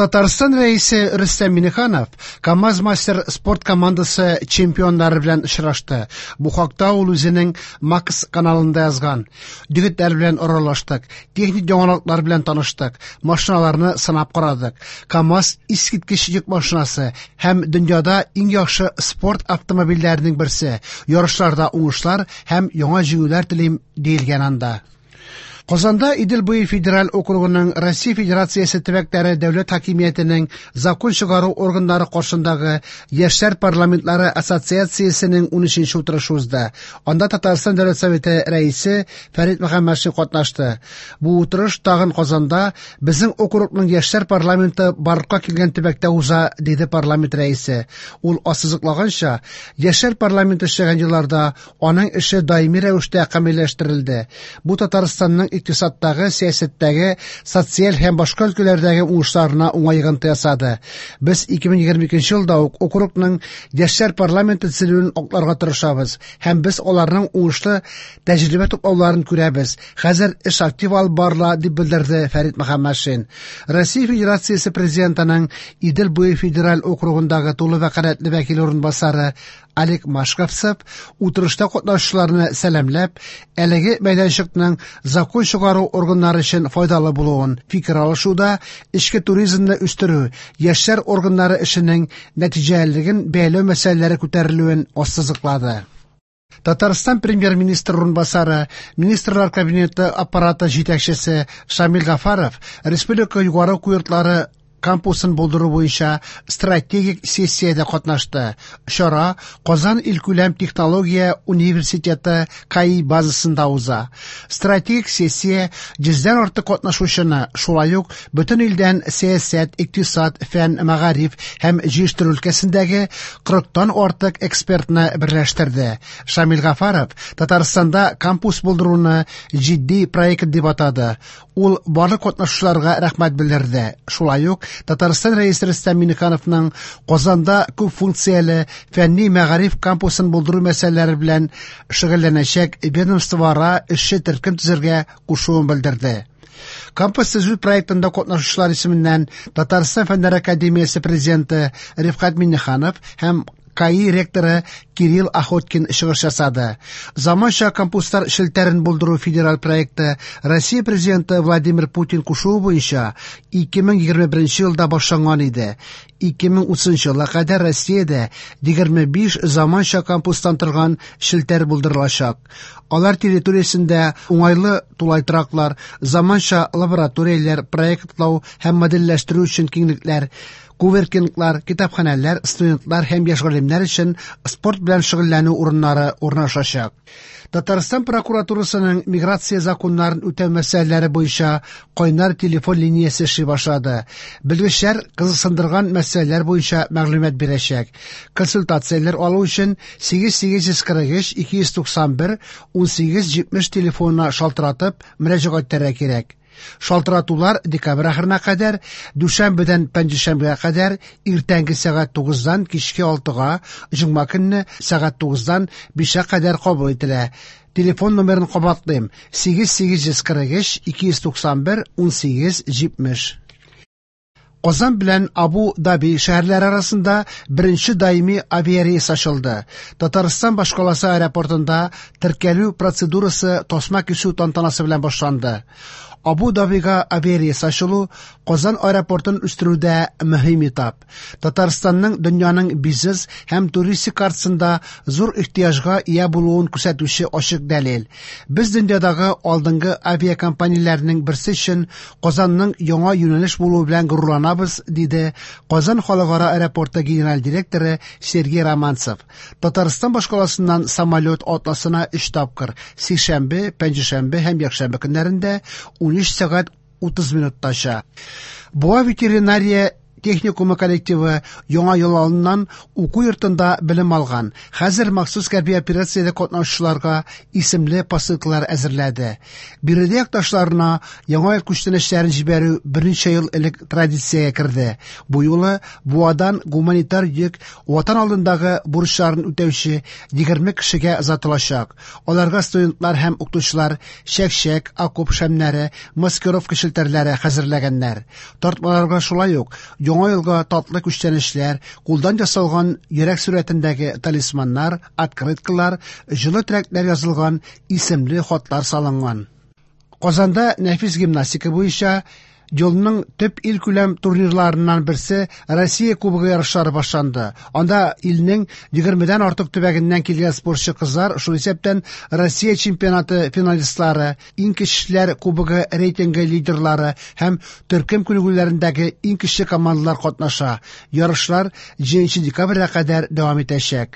Татарстан Рәисе Рөстәм Миңнеханов КАМАЗ-Мастер спорт командасы чемпионнары белән очрашты. Бу хакта ул үзенең Макс каналында язган. Егетләр белән аралаштык, техник яңалыклар белән таныштык, машиналарны сынап карадык. КАМАЗ искиткеч йөк машинасы һәм дөньяда иң яхшы спорт автомобильләренең берсе. Ярышларда уңышлар һәм яңа җиңүләр телим, диелгән анда. Казанда Идел буе федераль округының Россия Федерациясе төбәкләре дәүләт хакимиятенең закон чыгару органнары каршындагы Яшьләр парламентлары ассоциациясенең 13 утырышы узды. Анда Татарстан Дәүләт Советы рәисе Фәрит Мөхәммәтшин катнашты. Бу утырыш тагын Казанда безнең округның яшьләр парламенты барлыкка килгән төбәктә уза, диде парламент рәисе. Ул ассызыклаганча, яшьләр парламенты эшләгән елларда аның эше даими рәвештә камилләштерелде. Бу Татарстанның икътисадтагы, сәясәттәге, социаль һәм башка өлкәләрдәге уңышларына уңай йогынты ясады. Без 2022 елда ук округның яшьләр парламенты төзелүен акларга тырышабыз һәм без аларның уңышлы тәҗрибә туплауларын күрәбез. Хәзер эш актив алып барыла, дип белдерде Фәрит Мөхәммәтшин. Россия Федерациясе президентының Идел буе федераль округындагы тулы вәкаләтле вәкил урынбасары Олег Машковцев утырышта катнашучыларны сәламләп, әлеге мәйданчыкның закон чыгару органнары өчен файдалы булуын, фикер алышуда эчке туризмны үстерү, яшьләр органнары эшенең нәтиҗәлелеген бәяләү мәсьәләләре күтәрелүен ассызыклады. Татарстан премьер-министр урынбасары, Министрлар кабинеты аппараты җитәкчесе Шамил Гафаров республика югары уку йортлары кампусын булдыру буенча стратегик сессиядә катнашты. Чара Казан илкүләм технология университеты КАИ базасында уза. Стратегик сессия 100дән артык катнашучыны, шулай ук бөтен илдән сәясәт, икътисад, фән, мәгариф һәм җыештыру өлкәсендәге 40тан артык экспертны берләштерде. Шамил Гафаров Татарстанда кампус булдыруны җитди проект дип атады. Ул барлык катнашучыларга рәхмәт белдерде. Шулай ук Татарстан Рәисе Рөстәм Миңнехановның Казанда күп функцияле фәнни мәгариф кампусын булдыру мәсьәләләре белән шөгыльләнәчәк ведомствоара эшче төркем төзергә кушуын белдерде. Кампус төзү проектында катнашучылар исеменнән Татарстан Фәннәр академиясе президенты Рифкать Миңнеханов һәм КАИ ректоры Кирилл Охоткин чыгыш ясады. Заманча кампуслар челтәрен булдыру федераль проекты Россия президенты Владимир Путин кушуы буенча 2021 елда башланган иде. 2030 елга кадәр Россиядә 25 заманча кампустан торган челтәр булдырылачак. Алар территориясендә уңайлы тулай тораклар, заманча лабораторияләр, проектлау һәм модельләштерү өчен киңлекләр, коворкинглар, китапханәләр, студентлар һәм яшь галимнәр өчен спорт белән шөгыльләнү урыннары урнашачак. Татарстан прокуратурасының миграция законнарын үтәү мәсьәләләре буенча кайнар телефон линиясе эшли башлады. Белгечләр кызыксындырган мәсьәләләр буенча мәгълүмат бирәчәк. Консультацияләр алу өчен 8843 291 1870 телефонына шалтыратып мөрәҗәгать итәргә кирәк. Шалтыратулар декабрь ахырына кадәр, дүшәмбедән пәнҗешәмбегә кадәр иртәнге сәгать 9-дан кичке 6-га, җомга көнне сәгать 9-дан 5-ка кадәр кабул ителә. Телефон номерын кабатлыйм: 8843 291 1870. Казан белән Абу Даби шәһәрләре арасында беренче даими авиарейс ачылды. Татарстан башкаласы аэропортында теркәлү процедурасы тасма кисү тантанасы белән башланды. Абу Дабига авиарейс ачылу Казан аэропортын үстерүдә мөһим этап. Татарстанның дөньяның бизнес һәм туристик картасында зур ихтыяҗга ия булуын күрсәтүче ачык дәлил. Без дөньядагы алдынгы авиакомпанияләрнең берсе өчен Казанның яңа юнәлеш булуы белән горурланабыз, диде Казан халыкара аэропорты генераль директоры Сергей Романцев. Татарстан башкаласыннан самолет атнасына 3 тапкыр сишәмбе, пәнҗешәмбе һәм якшәмбе көннәрендә 13 сәгать 30 минутта оча. Буа ветеринария техникумы коллективы Яңа ел алдыннан уку йортында белем алган, хәзер махсус хәрби операциядә катнашучыларга исемле посылкалар әзерләде. Биредә якташларына Яңа ел күчтәнәчләрен җибәрү берничә ел элек традициягә керде. Бу юлы Буадан гуманитар йөк Ватан алдындагы бурычларын үтәүче 20 кешегә озатылачак. Аларга студентлар һәм укытучылар чәк-чәк, окоп шәмнәре, маскировка челтәрләре хәзерләгәннәр. Тартмаларга шулай ук Яңа елга татлы күчтәнәчләр, кулдан ясалган йөрәк сурәтендәге талисманнар, открыткалар, җылы теләкләр язылган исемле хатлар салынган. Казанда нәфис гимнастика буенча елның төп илкүләм турнирларыннан берсе Россия Кубогы ярышлары башланды. Анда илнең 20дән артык төбәгеннән килгән спортчы кызлар, шул исәптән Россия чемпионаты финалистлары, иң көчлеләр кубогы рейтингы лидерлары һәм төркем күнегүләрендәге иң көчле командалар катнаша. Ярышлар 7 декабрьгә кадәр дәвам итәчәк.